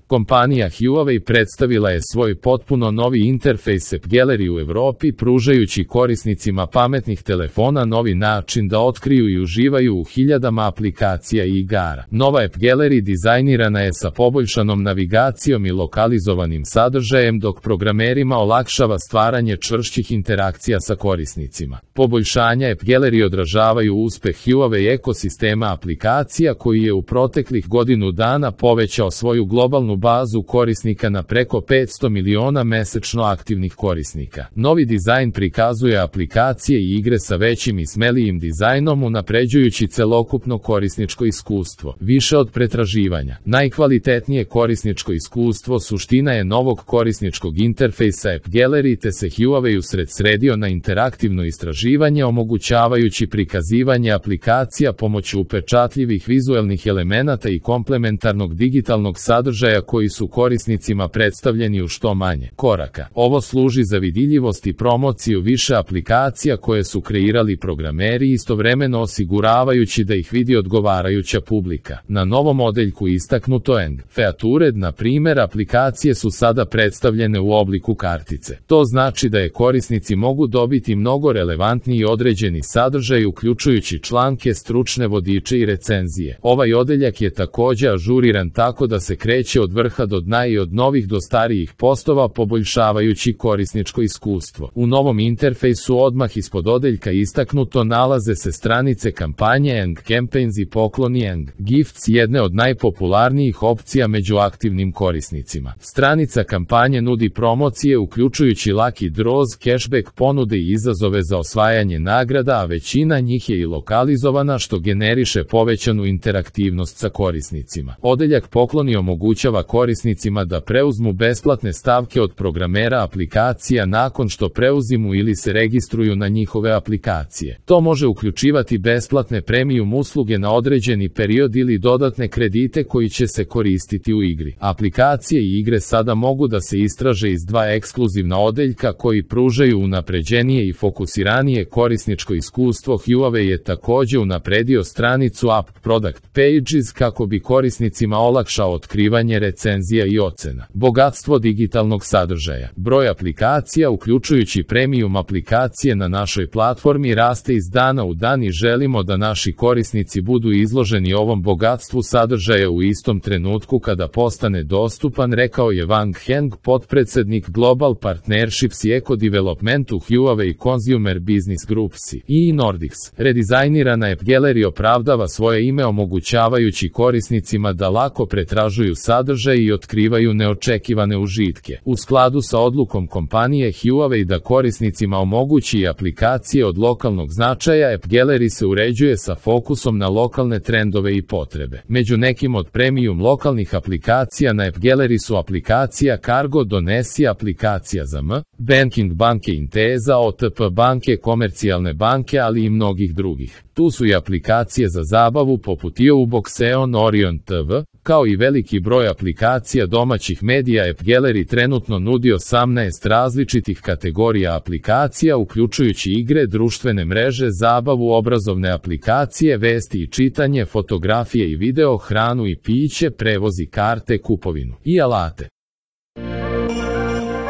Kompanija Huawei predstavila je svoj potpuno novi interfejs App Gallery u Evropi, pružajući korisnicima pametnih telefona novi način da otkriju i uživaju u hiljadama aplikacija i igara. Nova App Gallery dizajnirana je sa poboljšanom navigacijom i lokalizovanim sadržajem, dok programerima olakšava stvaranje čvršćih interakcija sa korisnicima. Poboljšanja App Gallery odražavaju uspeh Huawei ekosistema aplikacija koji je u proteklih godinu dana povećao svoju globalnu bazu korisnika na preko 500 miliona mesečno aktivnih korisnika. Novi dizajn prikazuje aplikacije i igre sa većim i smelijim dizajnom, unapređujući celokupno korisničko iskustvo. Više od pretraživanja. Najkvalitetnije korisničko iskustvo suština je novog korisničkog interfejsa App Gallery, te se Huawei usredsredio na interaktivno istraživanje, omogućavajući prikazivanje aplikacija pomoću upečatljivih vizuelnih elemenata i komplementarnog digitalnog sadržaja koji su korisnicima predstavljeni u što manje koraka. Ovo služi za vidljivost i promociju više aplikacija koje su kreirali programeri, istovremeno osiguravajući da ih vidi odgovarajuća publika. Na novom odeljku istaknuto Eng feature, na primjer, aplikacije su sada predstavljene u obliku kartice. To znači da je korisnici mogu dobiti mnogo relevantniji određeni sadržaj, uključujući članke, stručne vodiče i recenzije. Ovaj odeljak je također ažuriran tako da se kreće od vrha do dna i od novih do starijih postova, poboljšavajući korisničko iskustvo. U novom interfejsu odmah ispod odeljka istaknuto nalaze se stranice kampanje Eng Campaigns i pokloni Eng Gifts, jedne od najpopularnijih opcija među aktivnim korisnicima. Stranica kampanje nudi promocije uključujući Lucky Draws, cashback ponude i izazove za osvajanje nagrada, a većina njih je i lokalizovana, što generiše povećanu interaktivnost sa korisnicima. Odeljak pokloni omogućava korisnicima da preuzmu besplatne stavke od programera aplikacija nakon što preuzmu ili se registruju na njihove aplikacije. To može uključivati besplatne premium usluge na određeni period ili dodatne kredite koji će se koristiti u igri. Aplikacije i igre sada mogu da se istraže iz dva ekskluzivna odeljka koji pružaju unapređenije i fokusiranije korisničko iskustvo. Huawei je također unapredio stranicu App Product Pages kako bi korisnicima olakšao otkrivanje recenzija i ocena. Bogatstvo digitalnog sadržaja. Broj aplikacija, uključujući premium aplikacije na našoj platformi, raste iz dana u dan i želimo da naši korisnici budu izloženi ovom bogatstvu sadržaja u istom trenutku kada postane dostupan, rekao je Wang Heng, potpredsednik Global Partnerships i Eco Development u Huawei Consumer Business Groups i Nordics. Redizajnirana App Gallery opravdava svoje ime, omogućavajući korisnicima da lako pretražuju sadržaj i otkrivaju neočekivane užitke. U skladu sa odlukom kompanije Huawei da korisnicima omogući aplikacije od lokalnog značaja, App Gallery se uređuje sa fokusom na lokalne trendove i potrebe. Među nekim od premium lokalnih aplikacija na App Gallery su aplikacija Cargo Donesi, aplikacija za banking banke Intesa, OTP banke, komercijalne banke, ali i mnogih drugih. Tu su i aplikacije za zabavu poput Youbox, Eon, Orion TV, kao i veliki broj aplikacija domaćih medija. App Gallery trenutno nudi 18 različitih kategorija aplikacija, uključujući igre, društvene mreže, zabavu, obrazovne aplikacije, vesti i čitanje, fotografije i video, hranu i piće, prevoz i karte, kupovinu i alate.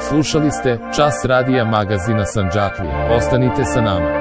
Slušali ste Čas radija magazina Sandžaklija. Ostanite sa nama.